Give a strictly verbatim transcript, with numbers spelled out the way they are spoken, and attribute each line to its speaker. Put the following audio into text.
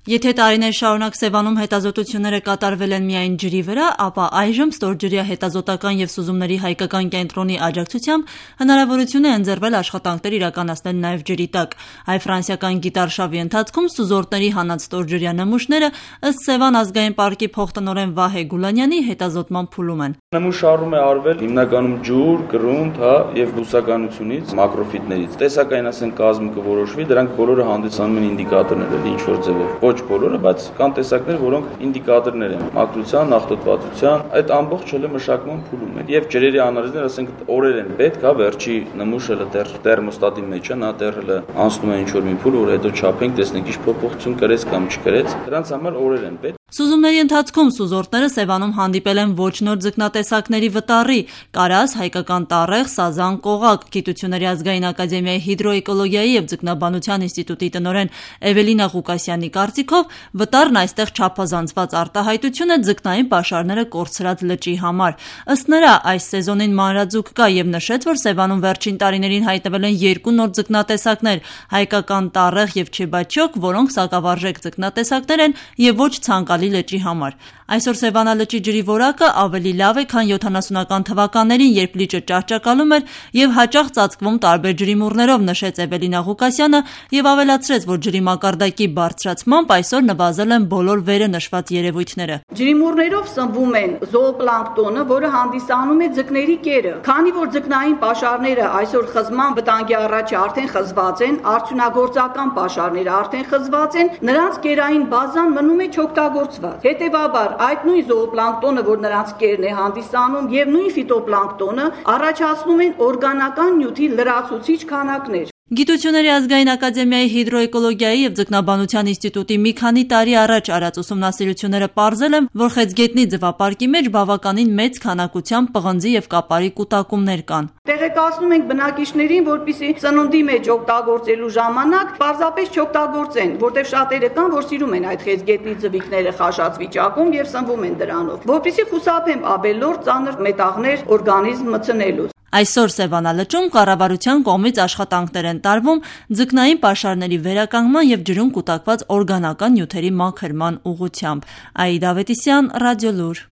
Speaker 1: Եթե տարիներ շարունակ Սևանում հետազոտությունները կատարվել են միայն ջրի վրա, ապա այժմ ստորջրյա հետազոտական և սուզումների հայկական կենտրոնի աջակցությամբ հնարավորություն է ընձեռվել աշխատանքներ իրականացնել նաև ջրի տակ։ Հայ-ֆրանսիական գիտարշավի ընթացքում սուզորդների հանած ստորջրյա նմուշները ըստ Սևան ազգային պարկի փոխտնօրեն Վահե Գուլանյանի հետազոտման փուլում են։
Speaker 2: Նմուշառում է արվել հիմնականում ջուր, կրունդ, հա, եւ բուսականությունից, մակրոֆիտներից։ Տեսակային ասեն կազմը կորոշվի, դրանք բոլորը հանդիսանում են ինդիկատորներ, էլ ինչ որ ձևով։ Ոչ բոլորը, բայց կան տեսակներ, որոնք ինդիկատորներ են մաքրության, աղտոտվածության, այդ ամբողջ հələ մշակման փուլում են։ Եվ ջրերի անալիզներ, ասենք օրեր են պետք, հա, վերջի նմուշը հələ դեռ թերմոստատի մեջ է, նա դեռ հələ անցնում է ինչ որ մի փուլ, որ հետո չափենք, տեսնենք ինչ փոփոխություն կրեց կամ չկրեց։ Դրանց համար օրեր են պետք։
Speaker 1: Սուզումների ընթացքում սուզորդները Սևանում հանդիպել են ոչ նոր ձկնատեսակների վտառի՝ կարաս, հայկական տառեղ, սազան, կողակ։ Գիտությունների ազգային ակադեմիայի հիդրոէկոլոգիայի և ձկնաբանության ինստիտուտի տնօրեն Էվելինա Ղուկասյանի կարծիքով վտառն այստեղ չափազանցված արտահայտություն է ձկնային պաշարները կորցրած լճի համար։ Ըստ նրա, այս սեզոնին մանրաձուկ կա և նշեց, որ Սևանում վերջին տարիներին հայտնվել են երկու նոր ձկնատեսակներ՝ հայկական տառեղ և չեբաչոկ, որոնք սակավարժեք ձկնատեսակներ են և ոչ ցանկալի լճի համար։ Այսօր Սևանալճի ջրի որակը ավելի լավ է, քան յոթանասունական թվականներին, երբ լիճը ճահճակալում էր և հաճախ ծածկվում տարբեր ջրիմուռներով, նշեց Էվելինա Ղուկասյանը և ավելացրեց, որ ջրի մակարդակի բարձրացմամբ այսօր նվազել են բոլոր վերը նշված երևույթները։
Speaker 3: Ջրիմուռներով սնվում են զոոպլանկտոնը, որը հանդիսանում է ձկների կերը։ Քանի որ ձկնային պաշարները այսօր խզման վտանգի առաջ արդեն խզված են, արդյունագործական պաշարները արդեն խզված են, նրանց կերային բազան մնում է չօգտագործված։ Հետևաբար այդ նույն զոոպլանկտոնը, որ նրանց կերն է հանդիսանում, եւ նույն ֆիտոպլանկտոնը առաջացնում են օրգանական նյութի լրացուցիչ քանակներ։
Speaker 1: Գիտությունների ազգային ակադեմիայի հիդրոէկոլոգիայի և ձկնաբանության ինստիտուտի մի քանի տարի առաջ արած ուսումնասիրությունները պարզել են, որ Խեցգետնի ձվապարկի մեջ բավականին մեծ քանակությամբ պղնձի և կապարի կուտակումներ կան։
Speaker 3: Տեղեկացնում ենք բնակիչներին, որպեսզի սննդի մեջ օգտագործելու ժամանակ պարզապես չօգտագործեն, որտեղ շատերը կան, որ սիրում են այդ Խեցգետնի ձվիկները խաշած վիճակում եւ սնվում են դրանով, որպեսզի խուսափեն ավելորդ ծանր մետաղներ օրգանիզմ մտցնելուց։
Speaker 1: Այսօր Սևանալճում կառավարության կողմից աշխատանքներ են տարվում ձկնային պաշարների վերականգնման և ջրում կուտակված օրգանական նյութերի մաքրման ուղղությամբ։ Աիդա Ավետիսյան, Ռադիոլուր։